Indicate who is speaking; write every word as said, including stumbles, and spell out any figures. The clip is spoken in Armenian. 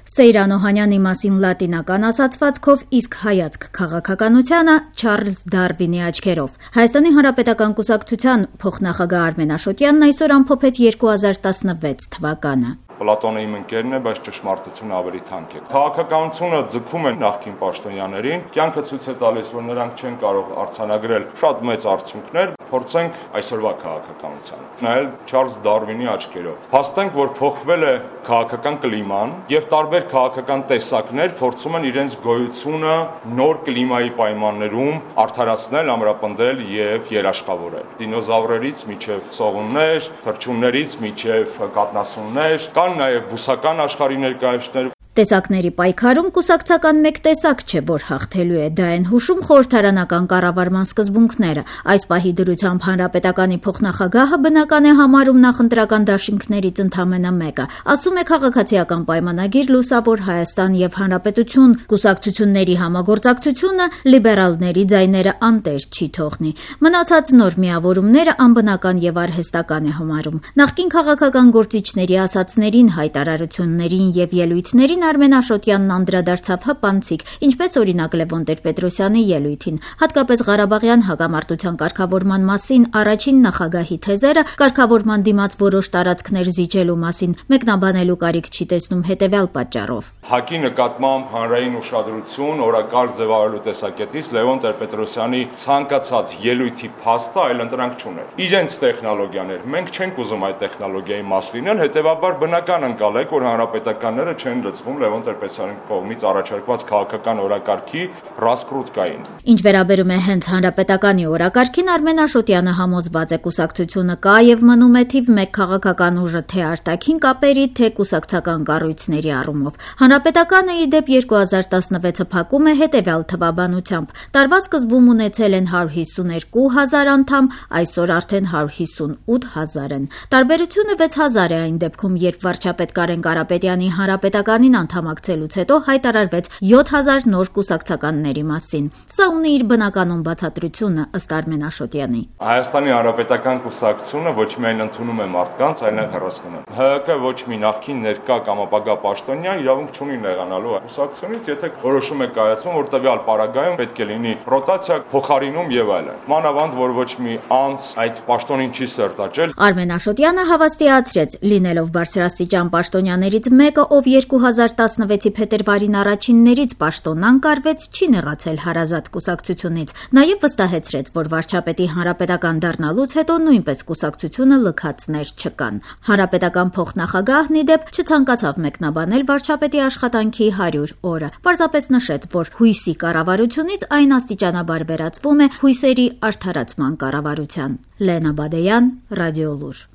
Speaker 1: Սեյրան Օհանյանի մասին լատինական ասացվածքով, իսկ հայացք քաղաքականությանը Չարլզ Դարվինի աչքերով։ Հայաստանի Հանրապետական կուսակցության փոխնախագահ Արմեն Աշոտյանն այսօր ամփոփեց երկու հազար տասնվեց թվականը։
Speaker 2: Պլատոնը իմ ընկերն է, բայց ճշմարտությունը ավելի թանկ է։ Քաղաքականությունը ձգում է նախկին պաշտոնյաներին, կյանքը ցույց է տալիս, որ նրանք չեն կարող արձանագրել շատ մեծ արդյունքներ, փորձենք այսօրվա քաղաքականության։ Նայել Չարլզ Դարվինի աչքերով։ Փաստենք, որ փոխվել է քաղաքական կլիման եւ տարբեր քաղաքական տեսակներ փորձում են իրենց գոյությունը նոր կլիմայի պայմաններում արդարացնել, ամրապնդել եւ երաշխավորել։ Դինոզավրերից մինչեւ սողուններ, թռչուններից մինչեւ կաթնասուններ, կան նաեւ բուսական աշխարհի ներկայացուցիչներ։
Speaker 1: Տեսակների պայքարում կուսակցական մեկ տեսակ չէ, որ հաղթելու է, դա են հուշում խորհրդարանական կառավարման սկզբունքները։ Այս պահի դրությամբ Հանրապետականի փոխնախագահը բնական է համարում նախընտրական դաշինքներից ընդամենը մեկը։ Ասում է քաղաքացիական պայմանագիր Լուսավոր Հայաստան եւ Հանրապետություն կուսակցությունների համագործակցությունը լիբերալների ձայները անտեր չի թողնի։ Մնացած նոր միավորումները անբնական եւ արհեստական է համարում։ Նախկին քաղաքական գործիչների ասացներին, հայտարարություններին եւ ելույթներին Արմեն Աշոտյանն անդրադարձավ հպանցիկ, ինչպես օրինակ Լևոն Տեր-Պետրոսյանի ելույթին, հատկապես Ղարաբաղյան հակամարտության կարգավորման մասին առաջին նախագահի թեզերը կարգավորման դիմաց որոշ տարածքներ զիջելու մասին մեկնաբանելու կարիք չի տեսնում հետևյալ պատճառով։
Speaker 2: ՀԱԿ-ի նկատմամբ հանրային ուշադրություն օրակարգ ձևավորելու տեսակետից Լևոն Տեր-Պետրոսյանի ցանկացած ելույթի փաստը այլընտրանք չուներ։ Իրենց տեխնոլոգիաներ, մենք չենք ուզում այդ տեխնոլոգիայի մաս լինել, հետևաբար բնական ընկալեք, որ հանրապետականները չեն լծվում Լևոն Տեր-Պետրոսյանի կողմից առաջարկված քաղաքական օրակարգի ռասկրուտկային։
Speaker 1: Ինչ վերաբերում է հենց հանրապետականի օրակարգին, Արմեն Աշոտյանը համոզված է կուսակցությունը կա եւ մնում է թիվ մեկ քաղաքական ուժը թե արտաքին կապերի, թե կուսակցական կառույցների առումով։ Հանրապետականը ի դեպ երկու հազար տասնվեցը փակում է հետևյալ թվաբանությամբ. տարվա սկզբում ունեցել են հարյուր հիսուներկու հազար անդամ, այսօր արդեն հարյուր հիսունութ հազար են։ Տարբերությունը վեց հազար է այն դեպքում, երբ վարչապետ Կարեն Կարապետյանի հանրապետականին անդամակցելուց հետո հայտարարվեց յոթ հազար նոր կուսակցականների մասին։ Սա ունի իր բնականon բացատրությունը ըստ Արմեն Աշոտյանի։
Speaker 2: Հայաստանի Հանրապետական կուսակցությունը ոչ միայն ընդունում է մարդկանց, այլև հեռացնում է։ ՀՀԿ ոչ մի նախկին ներկա կամ ապագա պաշտոնյա իրավունք չունի նեղանալու կուսակցությունից, եթե որոշում է կայացվում, որ տվյալ պարագայում պետք է լինի ռոտացիա, փոխարինում եւ այլն։ Մանավանդ, որ ոչ մի անձ այդ պաշտոնին չի սերտաճել։
Speaker 1: Արմեն Աշոտյանը հավաստիացրեց, լինելով բարձրաստիճան պաշտոնյաներից մեկը, ով երկու հազար տասնվեցի փետրվարին առաջիններից պաշտոնան կարվեց, չի նեղացել հարազատ կուսակցությունից։ Նաև վստահեցրեց, որ վարչապետի հանրապետական դառնալուց հետո նույնպես կուսակցությունը լքածներ չկան։ Հանրապետական փոխնախագահն ի դեպ չցանկացավ մեկնաբանել վարչապետի աշխատանքի հարյուր օրը։ Պարզապես նշեց, որ հույսի կառավարությունից այն աստիճանաբար վերածվում է հույսերի արդարացման կառավարության։ Լենա Բադեյան, Ռադիոլուր։